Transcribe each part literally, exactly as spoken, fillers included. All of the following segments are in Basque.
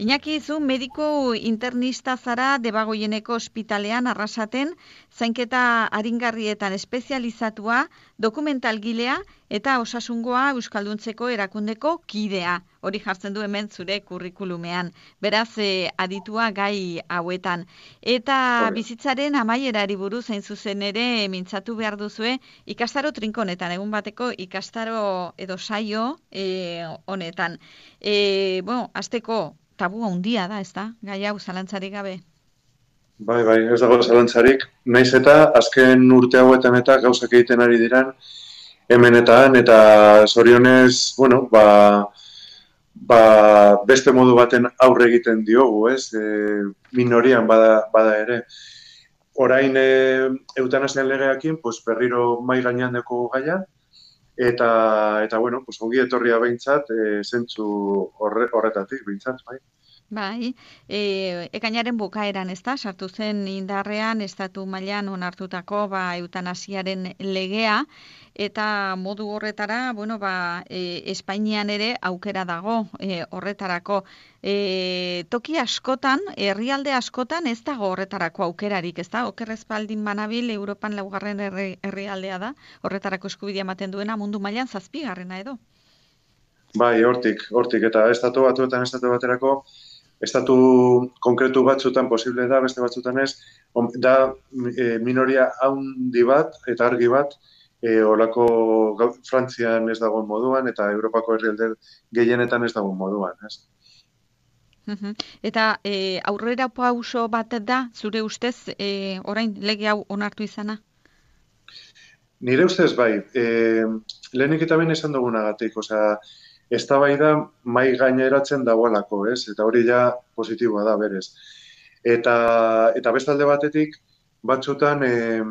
Iñaki, zu mediku internista zara Debagoieneko ospitalean Arrasaten, zainketa aringarrietan espezializatua, dokumentalgilea eta osasungoa euskalduntzeko erakundeko kidea. Hori jartzen du hemen zure kurrikulumean. Beraz, eh, aditua gai hauetan. Eta Hori. bizitzaren amaierari buruz hain zuzen ere mintzatu behar duzue ikastaro trinkonetan, egun bateko ikastaro edo saio eh, honetan. Eh, bueno, azteko tabu handia da, ez da? Gai hau zalantzarik gabe. Bai, bai, ez dago zalantzarik. Naiz eta azken urte hauetan eta gauzak egiten ari diran hemen eta han, eta zorionez, bueno, ba, ba, beste modu baten aurre egiten diogu, ez? E, minorian bada, bada ere. Orain e, eutanasian legeakin, pues, berriro mai gainean deko gaia, eta, eta bueno, pues, ongi etorria behintzat, e, zentzu horre, horretatik behintzat, bai. Bai, e, ekainaren bukaeran, ez da, sartu zen indarrean estatu mailan onartutako ba, eutanasiaren legea, eta modu horretara, bueno, ba, e, Espainian ere aukera dago e, horretarako. E, toki askotan, herrialde askotan ez dago horretarako aukerarik, ez da? Okerrez baldin banabil, Europan laugarren herri, herrialdea da, horretarako eskubidea ematen duena mundu mailan zazpigarrena edo. Bai, hortik, hortik, eta estatu batuetan estatu baterako, estatu konkretu batzutan posible da, beste batzutan ez, da e, minoria haundi bat eta argi bat, e, olako Frantzian ez dagoen moduan, eta Europako herrialde gehienetan ez dagoen moduan, ez? Eta e, aurrera pauso bat da, zure ustez, e, orain lege hau onartu izana? Nire ustez bai, e, lehenik eta behin esan dugunagatik, osea, eztabaida mai gaineratzen dagoelako, ez? Eta hori ja positiboa da berez. Eta eta bestalde batetik batzutan eh,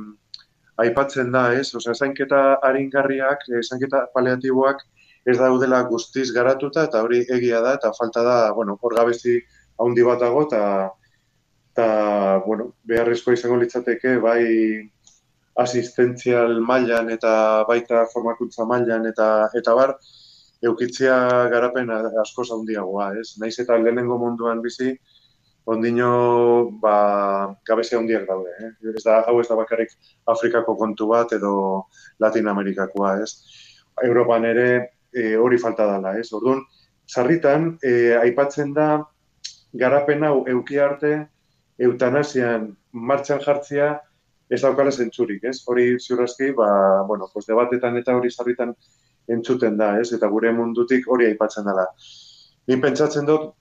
aipatzen da, ez? Osea, zainketa aringarriak, eh, zainketa paliatiboak ez daudela guztiz garatuta eta hori egia da eta falta da, bueno, hor gabezi handi bat dago eta eta bueno, beharrezkoa izango litzateke bai asistentzial mailan eta baita formakuntza mailan eta eta bar eukitzia garapen askoz handiagoa, ez? Naiz eta lehenengo munduan bizi, ondino ba, gabezia handiak daude, eh? Ez da, hau ez da bakarrik Afrikako kontu bat edo Latinamerikakoa, ez? Europan ere e, hori falta dela, ez? Orduan, sarritan, e, aipatzen da garapen hau euki arte eutanasian martxan jartzea ez daukala zentzurik, ez? Hori ziurrazki, ba, bueno, pues debatetan eta hori sarritan entzuten da, ez? Eta gure mundutik hori aipatzen dela. Ni pentsatzen dut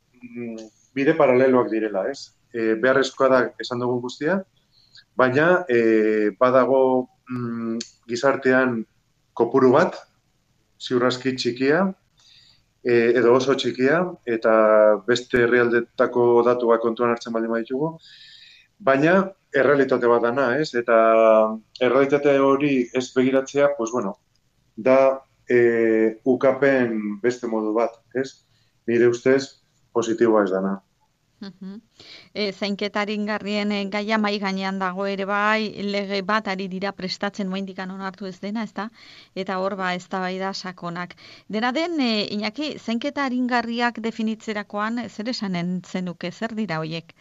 bide paraleloak direla, ez? E, beharrezkoa da esan dugu guztia, baina e, badago mm, gizartean kopuru bat, ziurrazki txikia, e, edo oso txikia, eta beste herrialdetako datuak kontuan hartzen baldin baditugu, baina errealitate bat dana, ez? Eta errealitate hori ez begiratzea, pues bueno, da E, ukapen beste modu bat, ez? Nire ustez positiboa ez dana. Uh-huh. E, zainketarin garrien e, gaia mai gainean dago ere bai, lege bat ari dira prestatzen moindikan onartu ez dena, ezta? Eta hor ba eztabaida sakonak. Dena den, e, Iñaki, zainketarin garriak definitzerakoan zer esanen zenuke, zer dira hoiek?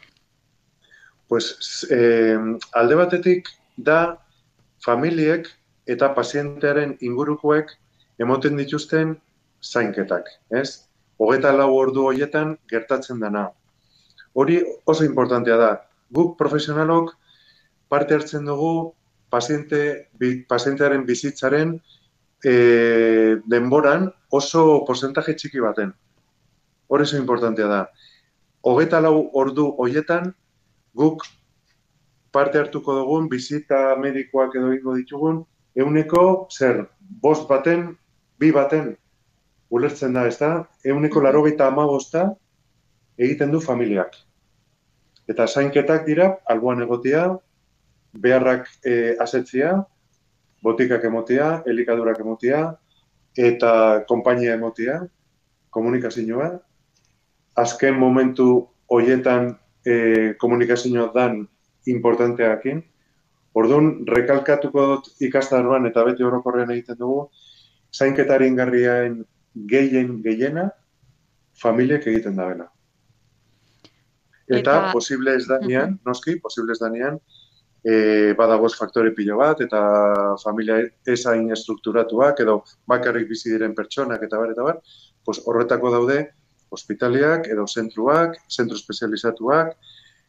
Pues, eh, alde batetik da familiek eta pazientearen ingurukoek emoten dituzten zainketak, ez? Hogeita lau ordu horietan gertatzen dana. Hori oso importantea da. Guk profesionalok parte hartzen dugu paziente, bi, pazientearen bizitzaren e, denboran oso porcentaje txiki baten. Hori oso importantea da. Hogeita lau ordu horietan guk parte hartuko dugun bizita medikoak edo egingo ditugun ehuneko zer, bost baten bi baten ulertzen da, ez da, ehuneko laurogeita hamabosta egiten du familiak. Eta zainketak dira, alboan egotea, beharrak e, asetzia, botikak emotea, elikadurak emotea, eta konpainia emotea, komunikazioa. Azken momentu hoietan e, komunikazioa dan importanteakin. Orduan, rekalkatuko dut ikastaroan eta beti orokorrean egiten dugu, zainketaren garriaen gehien gehiena familiek egiten da bena. Eta, Eta posible ez mhm, danean, noski, posible ez danean, e, badagoz faktore pilo bat, eta familia ezain estrukturatuak, edo bakarrik bizi diren pertsonak, eta bar, eta bar, pues horretako daude, hospitaliak, edo zentruak, zentru espezializatuak,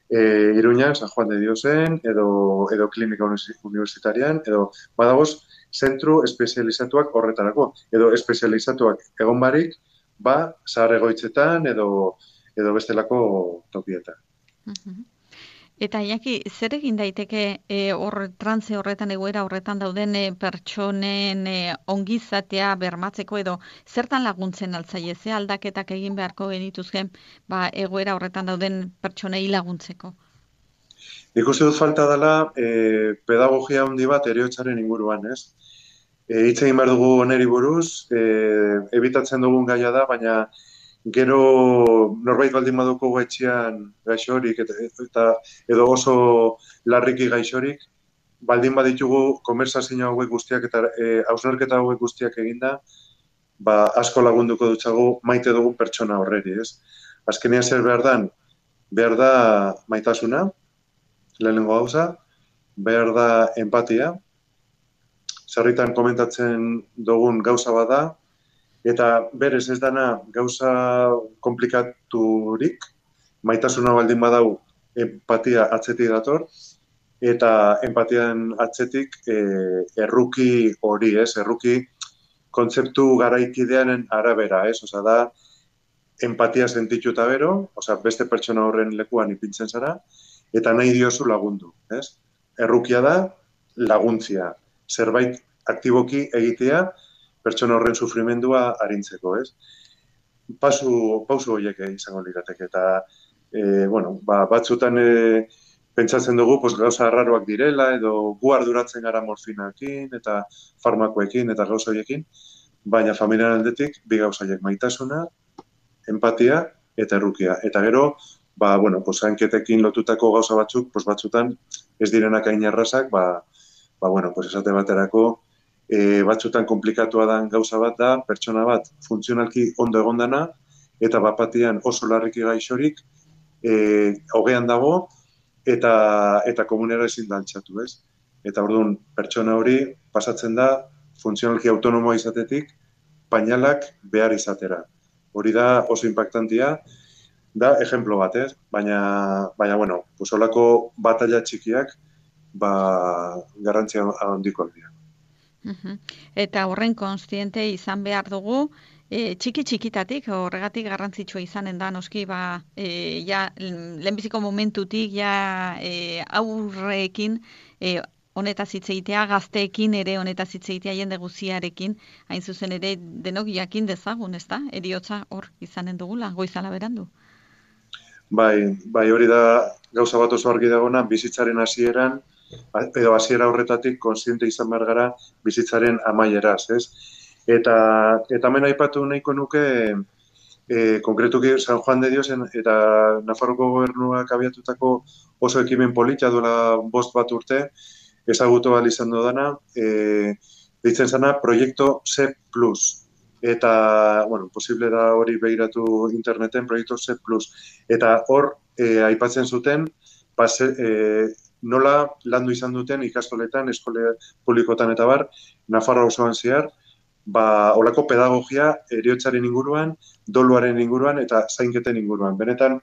e, Iruñan, San Juan de Diosen, edo, edo klinika universitarian, edo badagoz, zentru espezializatuak horretarako, edo espezializatuak egon barik, ba, zahar egoitzetan, edo, edo bestelako tokietan. mhm. Eta Iñaki, zer egin daiteke e, hor trantze horretan egoera horretan dauden e, pertsonen e, ongizatea bermatzeko edo zertan laguntzen altzaie, ze aldaketak egin beharko genituzken ba, egoera horretan dauden pertsonei laguntzeko? Ikusi dut falta dela e, pedagogia handi bat heriotzaren inguruan, ez? E, hitz egin behar dugu oneri buruz, e, ebitatzen dugun gaia da, baina gero norbait baldin baduko etxean gaixorik eta, eta edo oso larriki gaixorik, baldin baditugu konversazio hauek guztiak eta e, hausnarketa hauek guztiak eginda, ba, asko lagunduko dutxagu maite dugun pertsona horreri, ez? Azkenean zer behar dan, behar da maitasuna, lehenengo gauza, behar da empatia, sarritan komentatzen dugun gauza bada, eta berez ez dana gauza komplikaturik, maitasuna baldin badau empatia atzetik dator, eta empatian atzetik e, erruki hori, ez, erruki kontzeptu garaikidearen arabera, ez, oza da, empatia sentitu eta bero, oza, beste pertsona horren lekuan ipintzen zara, eta nahi diozu lagundu, ez? Errukia da laguntzia, zerbait aktiboki egitea pertsona horren sufrimendua arintzeko, ez? Pasu, pausu horiek izango lirateke, eta e, bueno, ba, batzutan e, pentsatzen dugu pues, gauza arraroak direla, edo gu arduratzen gara morfinakin, eta farmakoekin, eta gauza horiekin, baina familiaren aldetik, bi gauza horiek maitasuna, empatia eta errukia. Eta gero, ba, bueno, pues, hanketekin lotutako gauza batzuk, pues, batzutan ez direnak hain errazak, ba, ba, bueno, pues, esate baterako, e, batzutan komplikatua den gauza bat da, pertsona bat funtzionalki ondo egondana, eta bapatian oso larriki gaixorik, e, hogean dago, eta, eta komunera ezin da altxatu, ez? Eta orduan, pertsona hori pasatzen da, funtzionalki autonomoa izatetik, painalak behar izatera. Hori da oso impactantia, da ejemplo bat, ez? Baina, baina bueno, pues holako batalla txikiak, ba, garrantzia handikoak dira. Mhm. Eta horren kontziente izan behar dugu, e, txiki txikitatik, horregatik garrantzitsua izanen da, noski, ba, e, ja, lehenbiziko momentutik, ja, e, aurrekin, e, honetaz hitz egitea, gazteekin ere honetaz hitz egitea jende guziarekin, hain zuzen ere denok jakin dezagun, ezta? Eriotza hor izanen dugula, goizala berandu. Bai, bai hori da gauza bat oso argi dagona, bizitzaren hasieran, edo hasiera horretatik kontziente izan behar gara bizitzaren amaieraz, ez? Eta, eta hemen aipatu nahiko nuke, e, konkretuki San Juan de Diosen eta Nafarroko gobernuak abiatutako oso ekimen polita duela bost bat urte, ezagutu ahal izan dudana, e, ditzen zana Proiektu C plus. Eta, bueno, posible da hori behiratu interneten, Proiektu C plus. Eta hor, e, aipatzen zuten, pase, e, nola landu izan duten ikastoletan, eskole publikotan eta bar, Nafarroa osoan zehar, ba, olako pedagogia heriotzaren inguruan, doluaren inguruan eta zainketen inguruan. Benetan,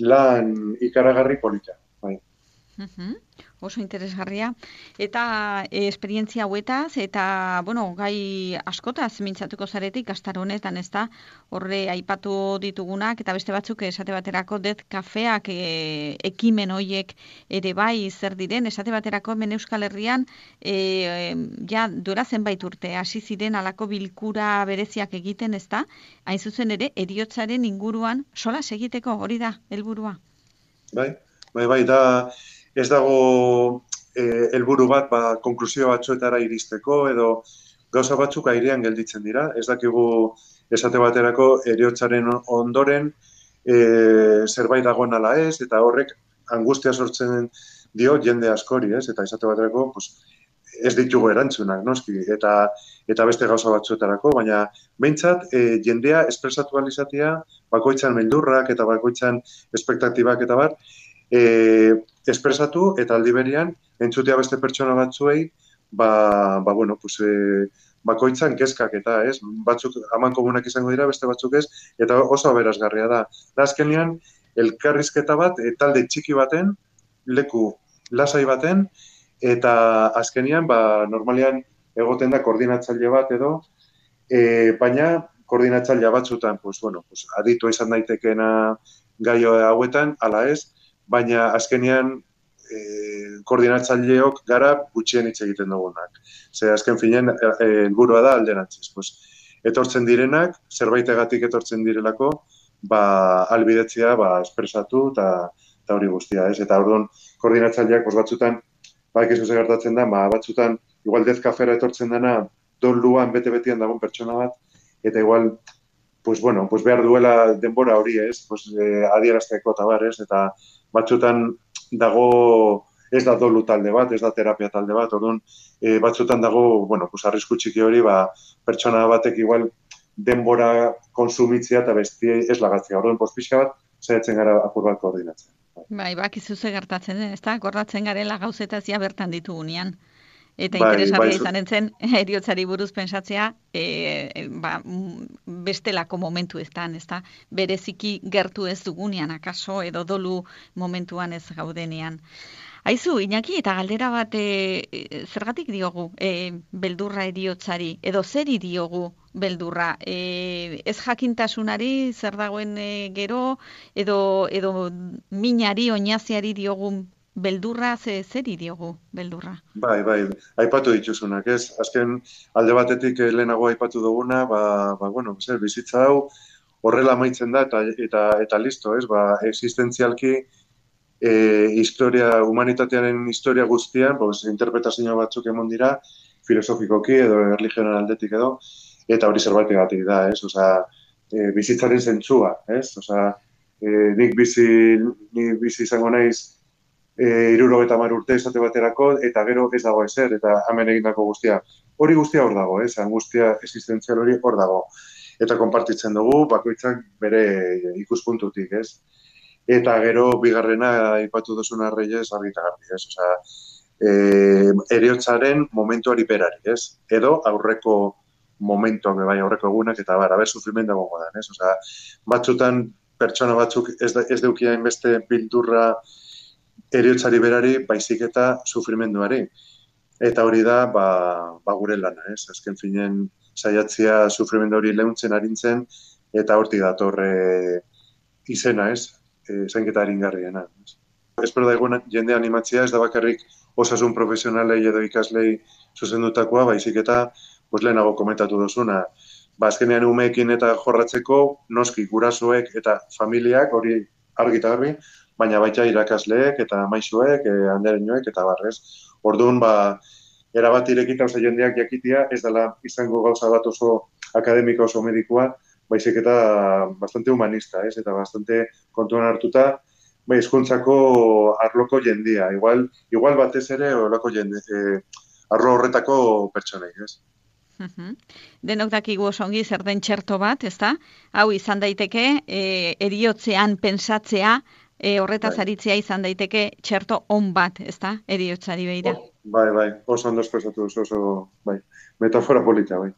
lan ikaragarri polita. Bai. Mhm. Oso interesgarria. Eta e, esperientzia hauetaz, eta, bueno, gai askotaz mintzatuko zaretik, gaztar honetan, ez da, horre aipatu ditugunak, eta beste batzuk esate baterako det kafeak e, ekimen hoiek ere bai zer diren, esate baterako hemen Euskal Herrian, e, ja, duela zenbait urte, hasi ziren alako bilkura bereziak egiten, ez da, hain zuzen ere, heriotzaren inguruan solas egiteko, hori da, helburua. Bai, bai, bai, da, ez dago eh, helburu bat, ba, konklusio batzuetara iristeko, edo gauza batzuk airean gelditzen dira. Ez dakigu esate baterako heriotzaren ondoren e, zerbait dagoen ala ez, eta horrek angustia sortzen dio jende askori, ez? Eta esate baterako, pues, ez ditugu erantzunak, noski, eta eta beste gauza batzuetarako, baina behintzat e, jendea espresatu alizatia, bakoitzan meldurrak eta bakoitzan espektatibak eta bar, e, espresatu eta aldi berean entzutea beste pertsona batzuei, ba, ba bueno, pues, e, bakoitzan kezkak eta, ez, batzuk aman komunak izango dira, beste batzuk ez, eta oso aberasgarria da. Da azkenean, elkarrizketa bat, e, talde txiki baten, leku lasai baten, eta azkenean, ba, normalean egoten da koordinatzaile bat edo, e, baina koordinatzailea batzutan, pues, bueno, pues, aditua izan daitekeena gai hauetan, ala ez, baina azkenean e, koordinatzaileok gara gutxien hitz egiten dugunak. Ze azken finean helburua da alderantziz. Pues, etortzen direnak, zerbaitegatik etortzen direlako, ba, albidetzea ba, espresatu eta hori guztia, ez? Eta orduan koordinatzaileak pues, batzutan, ba, ekizu ze gertatzen da, ba, batzutan, igual dez kafera etortzen dena, don luan bete-betian dagoen pertsona bat, eta igual, pues, bueno, pues, behar duela denbora hori, ez? Pues, eh, adierazteko eta bar, ez? Eta batzutan dago, ez da dolu talde bat, ez da terapia talde bat, orduan, e, batzutan dago, bueno, pues, arrisku txiki hori, ba, pertsona batek igual denbora konsumitzea eta bestiei ez lagatzea. Orduan, pues, pixka bat, saiatzen gara apur bat koordinatzen. Bai, bakizu ze gertatzen den, ezta? Gordatzen garela gauzetazia bertan ditugunean. Eta Bai, interesgarria bai, izanen zen, heriotzari buruz pentsatzea, e, ba, bestelako momentu eztan, ezta? Bereziki gertu ez dugunean, akaso, edo dolu momentuan ez gaudenean. Aizu, Iñaki, eta galdera bat, e, zergatik diogu e, beldurra heriotzari, edo zeri diogu beldurra? E, ez jakintasunari zer dagoen e, gero, edo, edo minari, oinaziari diogu beldurra, ze zeri diogu beldurra? Bai, bai, aipatu dituzunak, ez? Azken alde batetik lehenago aipatu duguna, ba, ba bueno, zer, bizitza hau horrela amaitzen da eta eta eta listo, ez? Ba, existentzialki e, historia, humanitatearen historia guztian, pues, interpretazio batzuk emon dira, filosofikoki edo erlijioaren aldetik edo, eta hori zerbaitegatik da, ez? Osea, e, bizitzaren zentzua, ez? Osea, e, nik bizi, nik bizi izango naiz E, irurogeita hamar urte esate baterako, eta gero ez dago ezer, eta hemen egindako guztia. Hori guztia hor dago, ez? Angustia existentzial hori hor dago. Eta konpartitzen dugu, bakoitzak bere ikuspuntutik, ez? Eta gero, bigarrena, aipatu duzuna Reyes, argi eta garbi, ez? Osea, e, heriotzaren momentuari berari, ez? Edo aurreko momentuak, bai, aurreko egunak, eta bar, aber sufrimendu egongo da, ez? Osea, batzutan pertsona batzuk ez, da, ez deukiain beste bildurra heriotzari berari, baizik eta sufrimenduari. Eta hori da, ba, ba gure lana, ez? Azken finen saiatzea sufrimendu hori leuntzen arintzen, eta hortik datorre izena, ez? E, zainketa aringarriena. Espero da egun jende animatzea, ez da bakarrik osasun profesionalei edo ikaslei zuzendutakoa, baizik eta pues, lehenago komentatu dozuna. Ba, azkenean umeekin eta jorratzeko, noski gurasoek eta familiak, hori argi eta garbi, baina baita irakasleek eta maisuek, eh, andereñoek eta barrez. Orduan, ba, erabat irekita oso jendeak jakitia, ez dela izango gauza bat oso akademiko oso medikua, baizik eta bastante humanista, ez? Eta bastante kontuan hartuta, bai, hezkuntzako arloko jendia. Igual, igual batez ere horrelako jende, eh, arlo horretako pertsonei, ez? Uhum. Denok dakigu oso ongi zer den txerto bat, ezta? Hau izan daiteke, e, eriotzean pentsatzea, e, horretaz Bai. aritzea izan daiteke txerto on bat, ezta? Eriotzari begira. Bai, bai, oso ondo espresatu, oso, oso, bai, metafora polita, bai.